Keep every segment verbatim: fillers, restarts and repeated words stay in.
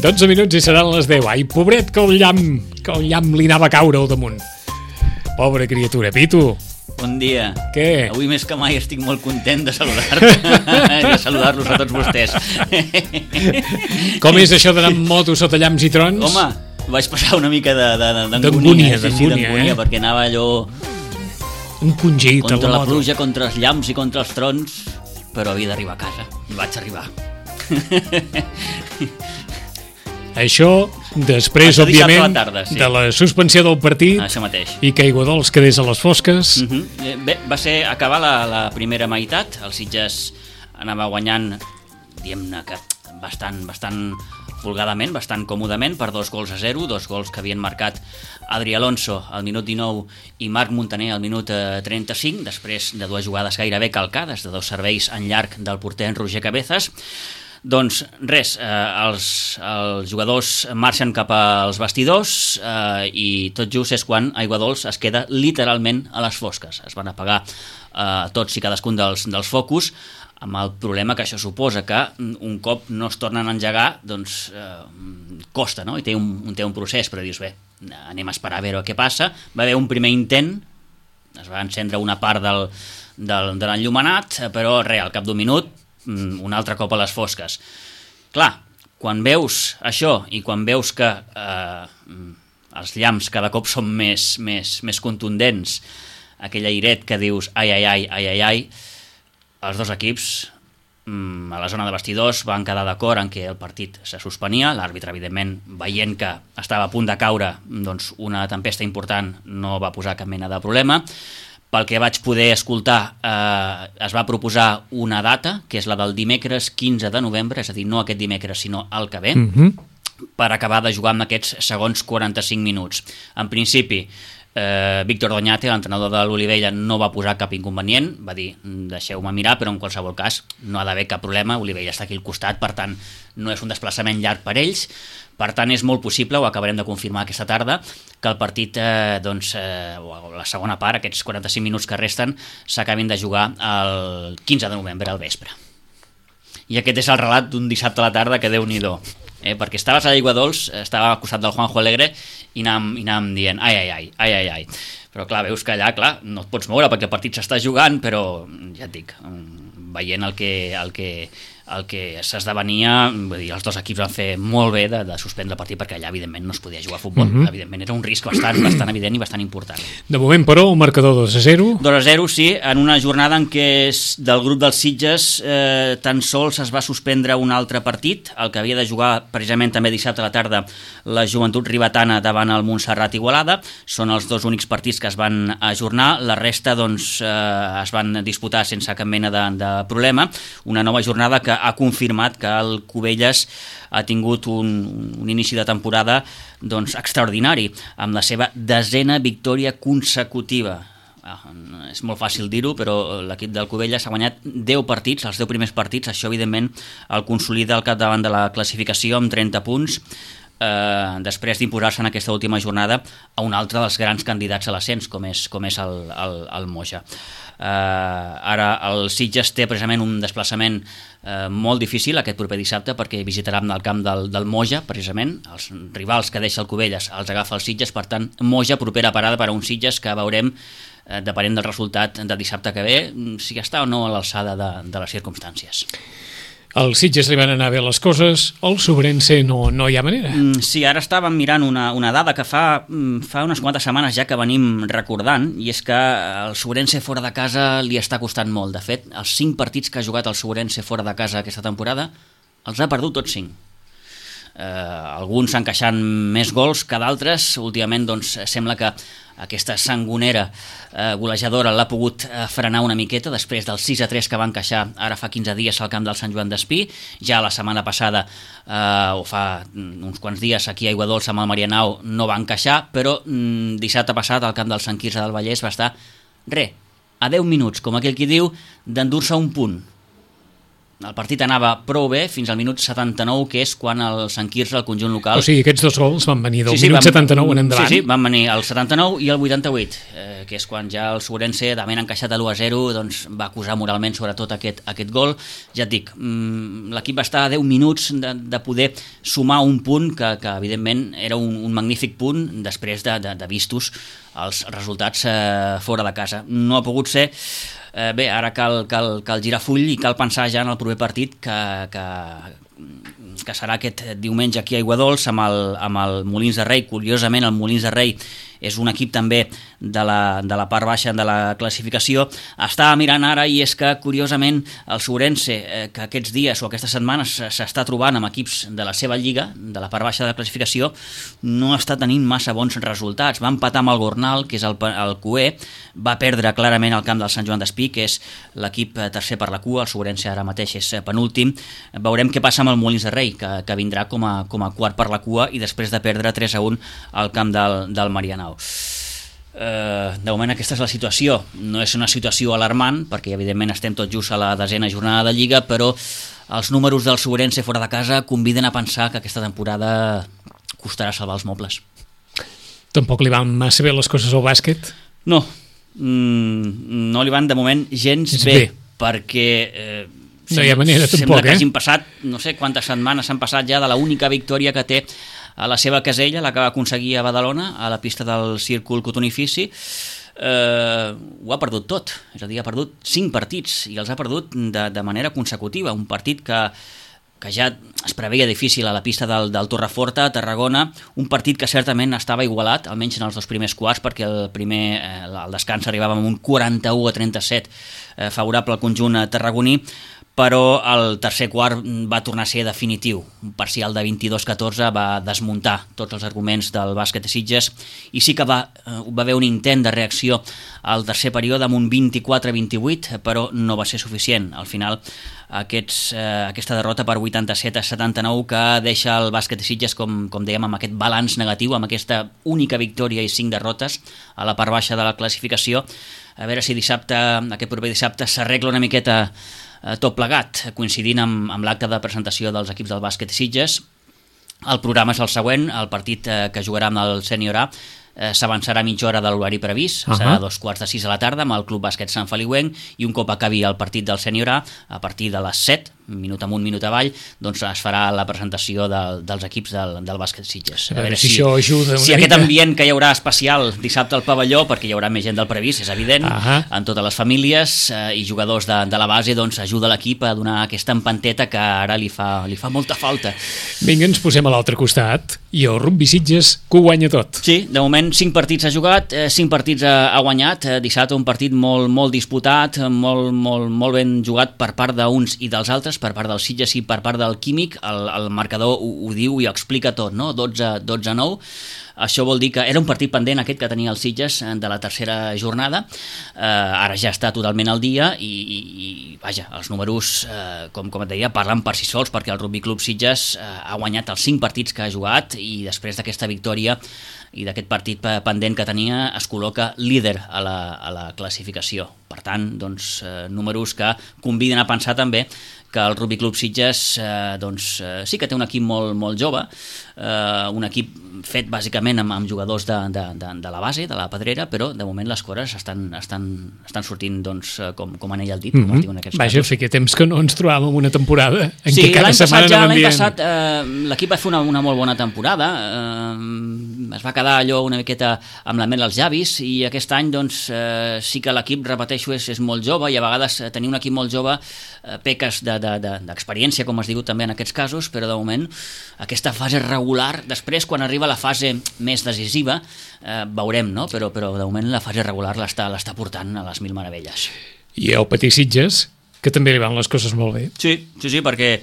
dotze minuts i seran les deu. Ai, pobret, que un llamp, que un llamp li anava a caure al damunt. Pobra criatura. Pitu. Bon dia. Què? Avui més que mai estic molt content de saludar-te i de saludar-los a tots vostès. Com és això d'anar amb moto sota llamps i trons? Home, vaig passar una mica d'angúnia, D'angúnia, sí, sí, d'angúnia, eh? perquè anava allò encongit a contra la la moto. pluja, contra els llamps i contra els trons, però havia d'arribar a casa. I vaig arribar. Això, després, Això dissabte a la òbviament, tarda, sí. de la suspensió del partit Això mateix. i que Aiguadols quedés a les fosques. Uh -huh. Bé, va ser acabar la, la primera meitat. El Sitges anava guanyant, diguem-ne que bastant, bastant folgadament, bastant còmodament, per dos gols a zero, dos gols que havien marcat Adri Alonso al minut dinou i Marc Montaner al minut eh, trenta-cinc, després de dues jugades gairebé calcades, de dos serveis en llarg del porter Roger Cabezas. Doncs res, eh, els, els jugadors marxen cap als vestidors eh, i tot just és quan Aiguadols es queda literalment a les fosques. Es van apagar eh, tots i cadascun dels, dels focus, amb el problema que això suposa, que un cop no es tornen a engegar, doncs eh, costa, no? I té un, té un procés, però dius, bé, anem a esperar a veure què passa. Va haver un primer intent, es va encendre una part del, del, de l'enllumenat, però res, al cap d'un minut un altre cop a les fosques. Clar, quan veus això i quan veus que eh, els llamps cada cop són més, més, més contundents, aquell airet que dius ai, ai, ai, ai, ai, ai, els dos equips mm, a la zona de vestidors van quedar d'acord en què el partit se suspenia. L'àrbitre, evidentment, veient que estava a punt de caure doncs, una tempesta important, no va posar cap mena de problema. Pel que vaig poder escoltar, eh, es va proposar una data, que és la del dimecres quinze de novembre, és a dir, no aquest dimecres, sinó el que ve, Mm-hmm. per acabar de jugar amb aquests segons quaranta-cinc minuts. En principi, eh, Víctor Doñate, l'entrenador de l'Olivella, no va posar cap inconvenient, va dir, deixeu-me mirar, però en qualsevol cas no ha d'haver cap problema, Olivella està aquí al costat, per tant, no és un desplaçament llarg per ells. Per tant, és molt possible, ho acabarem de confirmar aquesta tarda, que el partit, eh, doncs, eh, o la segona part, aquests quaranta-cinc minuts que resten, s'acabin de jugar el quinze de novembre al vespre. I aquest és el relat d'un dissabte a la tarda que Déu-n'hi-do. Eh, perquè estaves a Aiguadols, estava al costat del Juanjo Alegre i anàvem, i anàvem dient ai, ai, ai, ai, ai, ai. Però clar, veus que allà, clar, no et pots moure perquè el partit s'està jugant, però ja et dic, veient el que... El que el que s'esdevenia, vull dir, els dos equips van fer molt bé de, de suspendre el partit perquè allà evidentment no es podia jugar a futbol, mm-hmm. Evidentment era un risc bastant, bastant evident i bastant important. De moment, però, un marcador dos a zero. dos a zero, sí, en una jornada en què del grup dels Sitges eh, tan sols es va suspendre un altre partit, el que havia de jugar precisament també dissabte a la tarda la Joventut Ribetana davant el Montserrat Igualada. Són els dos únics partits que es van ajornar, la resta doncs, eh, es van disputar sense cap mena de, de problema. Una nova jornada que ha confirmat que el Cubelles ha tingut un, un inici de temporada doncs, extraordinari, amb la seva desena victòria consecutiva. Ah, és molt fàcil dir-ho, però l'equip del Cubelles ha guanyat deu partits, els deu primers partits, això evidentment el consolida al capdavant de la classificació amb trenta punts, eh, després d'imposar-se en aquesta última jornada a un altre dels grans candidats a l'ascens, com és, com és el, el, el Moja. Uh, ara el Sitges té precisament un desplaçament uh, molt difícil aquest proper dissabte perquè visitarà el camp del, del Moja, precisament els rivals que deixa el Cubelles els agafa el Sitges, per tant Moja, propera parada per a un Sitges que veurem uh, depenent del resultat de dissabte que ve si està o no a l'alçada de, de les circumstàncies. Al Sitges li van anar bé les coses, al Sobrense no, no hi ha manera. Mm, sí, ara estàvem mirant una, una dada que fa, fa unes quantes setmanes ja que venim recordant, i és que el Sobrense fora de casa li està costant molt. De fet, els cinc partits que ha jugat el Sobrense fora de casa aquesta temporada els ha perdut tots cinc. Eh, alguns encaixant més gols que d'altres. Últimament doncs, sembla que aquesta sangonera eh, golejadora l'ha pogut eh, frenar una miqueta després del sis a tres que va encaixar ara fa quinze dies al camp del Sant Joan d'Espí. Ja la setmana passada eh, o fa uns quants dies aquí a Aiguadols amb el Marianao no va encaixar, però mm, dissabte passat al camp del Sant Quirze del Vallès va estar re, a deu minuts, com aquell qui diu, d'endur-se un punt. el partit anava prou bé fins al minut setanta-nou, que és quan el Sant Quirze, el conjunt local... O sigui, aquests dos gols van venir del sí, sí, minut van, setanta-nou en endavant. Sí, sí, van venir el setanta-nou i el vuitanta-vuit, eh, que és quan ja el Sobrense, d'haver encaixat a l'u a zero, doncs, va acusar moralment sobretot aquest, aquest gol. Ja et dic, mmm, l'equip va estar a deu minuts de, de poder sumar un punt que, que evidentment era un, un magnífic punt després de, de, de vistos els resultats eh, fora de casa. No ha pogut ser. Eh, bé, ara cal, cal, cal girar full i cal pensar ja en el proper partit que, que, que serà aquest diumenge aquí a Aiguadols amb el, amb el Molins de Rei. Curiosament, el Molins de Rei és un equip també de la, de la part baixa de la classificació. Estava mirant ara i és que, curiosament, el Sobrense, eh, que aquests dies o aquestes setmanes s'està trobant amb equips de la seva lliga, de la part baixa de la classificació, no està tenint massa bons resultats. Va empatar amb el Gornal, que és el, el Cué, va perdre clarament el camp del Sant Joan d'Espí, que és l'equip tercer per la cua, el Sobrense ara mateix és penúltim. Veurem què passa amb el Molins de Rei, que, que vindrà com a, com a quart per la cua i després de perdre tres a un al camp del, del Marianao. Uh, de moment aquesta és la situació. No és una situació alarmant perquè evidentment estem tot just a la desena jornada de Lliga, però els números del Sobrense fora de casa conviden a pensar que aquesta temporada costarà salvar els mobles. Tampoc li van massa bé les coses al bàsquet? No, mm, no li van de moment gens bé, bé, perquè eh, no hi ha manera sembla tampoc, que eh? hagin passat, no sé quantes setmanes han passat ja de la única victòria que té a la seva casella, la que va aconseguir a Badalona, a la pista del Círcul Cotonifici. Eh, ho ha perdut tot, és a dir, ha perdut cinc partits i els ha perdut de, de manera consecutiva. Un partit que, que ja es preveia difícil a la pista del, del Torreforta, a Tarragona, un partit que certament estava igualat, almenys en els dos primers quarts, perquè el primer, eh, el descans arribava amb un quaranta-u a trenta-set eh, favorable al conjunt tarragoní, però el tercer quart va tornar a ser definitiu. Un parcial de vint-i-dos a catorze va desmuntar tots els arguments del bàsquet de Sitges i sí que va, va haver un intent de reacció al tercer període amb un vint-i-quatre a vint-i-vuit, però no va ser suficient. Al final, aquests, eh, aquesta derrota per vuitanta-set a setanta-nou que deixa el bàsquet de Sitges, com, com dèiem, amb aquest balanç negatiu, amb aquesta única victòria i cinc derrotes a la part baixa de la classificació. A veure si dissabte, aquest proper dissabte s'arregla una miqueta tot plegat, coincidint amb, amb l'acte de presentació dels equips del bàsquet Sitges. El programa és el següent, el partit eh, que jugarà amb el Sènior A eh, s'avançarà mitja hora de l'horari previst, uh -huh. serà a dos quarts de sis a la tarda amb el Club Bàsquet Sant Feliuenc, i un cop acabi el partit del Sènior A, a partir de les set, minut amunt, minut avall, doncs es farà la presentació del, dels equips del, del bàsquet Sitges. A veure, a veure si, si això ajuda una si aquest ambient que hi haurà especial dissabte al pavelló, perquè hi haurà més gent del previst, és evident, uh -huh. en totes les famílies eh, i jugadors de, de la base, doncs ajuda l'equip a donar aquesta empanteta que ara li fa, li fa molta falta. Vinga, ens posem a l'altre costat i el Rugby Sitges que ho guanya tot. Sí, de moment cinc partits ha jugat, eh, cinc partits ha, ha guanyat, eh, dissabte un partit molt, molt disputat, molt, molt, molt ben jugat per part d'uns i dels altres, per part del Sitges i per part del Químic. El, el marcador ho, ho diu i ho explica tot, no? dotze a nou. Això vol dir que era un partit pendent aquest que tenia el Sitges de la tercera jornada, eh, ara ja està totalment al dia i, i, i vaja, els números, eh, com, com et deia, parlen per si sols, perquè el Rugby Club Sitges eh, ha guanyat els cinc partits que ha jugat i després d'aquesta victòria i d'aquest partit pendent que tenia es col·loca líder a la, a la classificació. Per tant, doncs, eh, números que conviden a pensar també que el Rugby Club Sitges eh, doncs, eh, sí que té un equip molt, molt jove, eh, un equip fet bàsicament amb, amb jugadors de, de, de, de la base, de la pedrera, però de moment les coses estan, estan, estan sortint doncs, com, com en ell el dit. Mm -hmm. com Vaja, feia temps que no ens trobàvem una temporada en sí, què cada setmana ja, no l'any dient... passat eh, l'equip va fer una, una molt bona temporada, eh, es va quedar allò una miqueta amb la mel als llavis, i aquest any doncs, eh, sí que l'equip, repeteixo, és, és molt jove, i a vegades eh, tenir un equip molt jove eh, peques d'experiència, de, de, com es diu també en aquests casos, però de moment aquesta fase regular, després quan arriba la fase més decisiva eh, veurem, no? però, però de moment la fase regular l'està l'està portant a les mil meravelles. I el Petit Sitges, que també li van les coses molt bé. Sí, sí, sí, perquè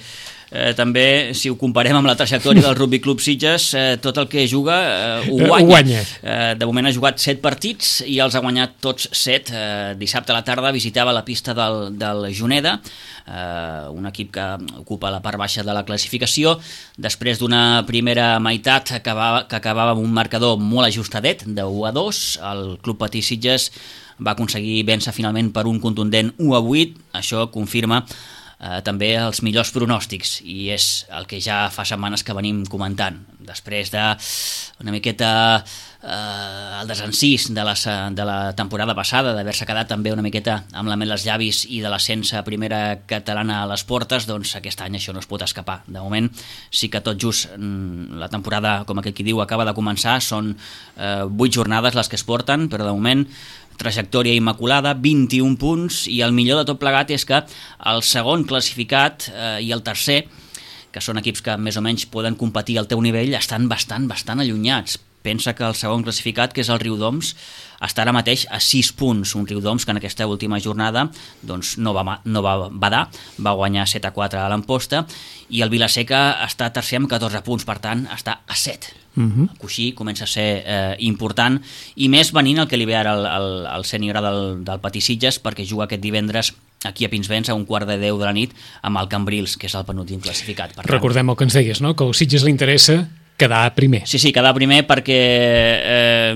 Eh, també, si ho comparem amb la trajectòria del Rugby Club Sitges, eh, tot el que juga eh, ho guanya. Ho guanya. Eh, de moment ha jugat set partits i els ha guanyat tots set. Eh, dissabte a la tarda visitava la pista del, del Juneda, eh, un equip que ocupa la part baixa de la classificació, després d'una primera meitat que acabava, que acabava amb un marcador molt ajustadet, de u a dos, el Club Petit Sitges va aconseguir vèncer finalment per un contundent u a vuit. Això confirma eh, també els millors pronòstics, i és el que ja fa setmanes que venim comentant. Després de una miqueta eh, el desencís de la, de la temporada passada, d'haver-se quedat també una miqueta amb la mel als llavis i de l'ascens a primera catalana a les portes, doncs aquest any això no es pot escapar. De moment sí que tot just la temporada, com aquell qui diu, acaba de començar, són eh, vuit jornades les que es porten, però de moment trajectòria immaculada, vint-i-un punts, i el millor de tot plegat és que el segon classificat eh, i el tercer, que són equips que més o menys poden competir al teu nivell, estan bastant, bastant allunyats. Pensa que el segon classificat, que és el Riudoms, està ara mateix a sis punts. Un Riudoms que en aquesta última jornada doncs, no, va, no va badar, va guanyar set a quatre a l'Amposta, i el Vilaseca està tercer amb catorze punts, per tant està a set. Uh-huh. Coixí comença a ser eh, important, i més venint el que li ve ara el, el, el sènior del, del Patisitges, perquè juga aquest divendres aquí a Pinsbens a un quart de deu de la nit amb el Cambrils, que és el penúltim classificat. Per Recordem el que ens deies, no? Que al Sitges li interessa quedar primer. Sí, sí, quedar primer perquè eh,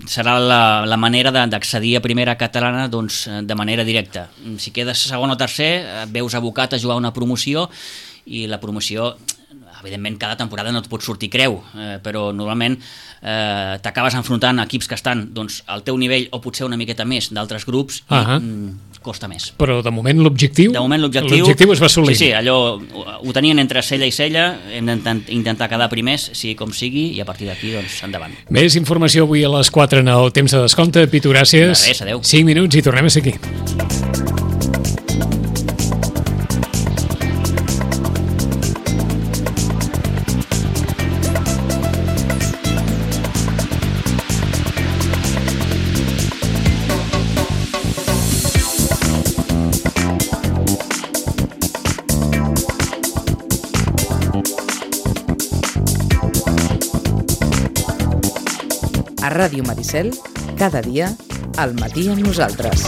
serà la, la manera d'accedir a primera catalana doncs, de manera directa. Si quedes segon o tercer, veus abocat a jugar una promoció, i la promoció, evidentment, cada temporada no et pot sortir creu, eh, però normalment eh, t'acabes enfrontant a equips que estan doncs, al teu nivell o potser una miqueta més d'altres grups, i uh-huh. mm, costa més. Però de moment l'objectiu de moment l'objectiu, l'objectiu es va assolir. Sí, sí, allò ho tenien entre cella i cella, hem d'intentar quedar primers, sigui com sigui, i a partir d'aquí, doncs, endavant. Més informació avui a les quatre en el temps de descompte. Pitu, gràcies. De res, adeu. cinc minuts i tornem a ser aquí. A Ràdio Maricel, cada dia, al matí amb nosaltres.